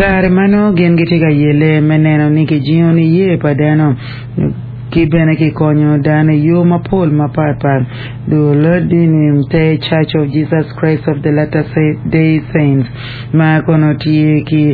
Kare ma nongo gin gitye ka yelle me neno ni kijingo niye pa dano ki bene kikonyo dano i yo mapol mapatpat, dul dini te Church of Jesus Christ of the Latter Day Saints ma kono tye ki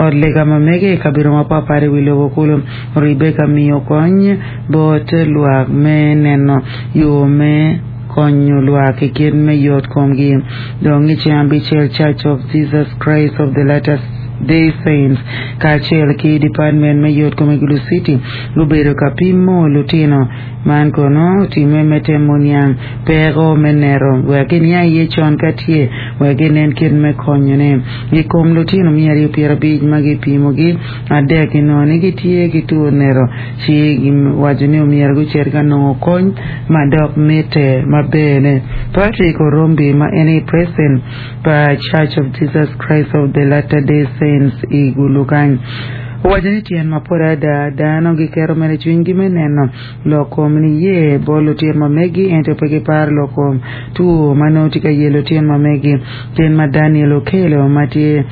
ot lega ma mege i kabedo mapatpat i wi lobo kulu oribbe ka miyo kony bot lwak me neno yo me konyo lwak i kit me yot komgi. Dong i ceng abicel, Church of Jesus Christ of the Latter Day Saints kacel ki Department me Yot Kom i Gulu City gubedo ka pimo lutino. Man kono otimme me temo niang peko me nero wek giniang iye con ka tye wek ginen kit me konyone. I kom lutino 250 ma gipimogi, adek ginongo ni gitye ki two nero ci giwaco ni omyero gucit ka nongo kony ma dok mitte maber-ne. Patrick Orombi ma en aye president pa Church of Jesus Christ of the Latter Day Saints i Gulu kany owaco ni tyen mapol adada dano giketo mere cwinygi me neno lok kom niye bot lutino ma megi ento pe giparo lok kom two ma nongo tye ka yelo lutino ma megi. Kit ma Daniel Okello ma tye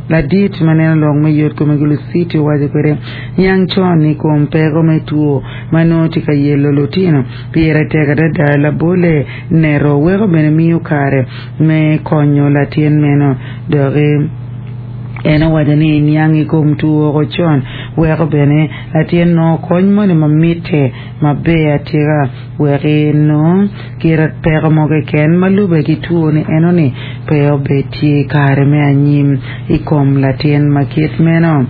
ladit ma neno lok me yot kom i Gulu City owaco kwede, Niang con i kom peko me two ma nongo tye ka yelo lutino pire tek adada. Labolle, nero weko bene miyo kare me konyo latin meno. Doki en owaco ni niang i kom two woko con weko bene latin nongo kony moni ma mitte maber atika wek enong kit peko mo keken ma lube ki two ni enoni pe obed tye i kare me anyim i kom latin ma kit meno.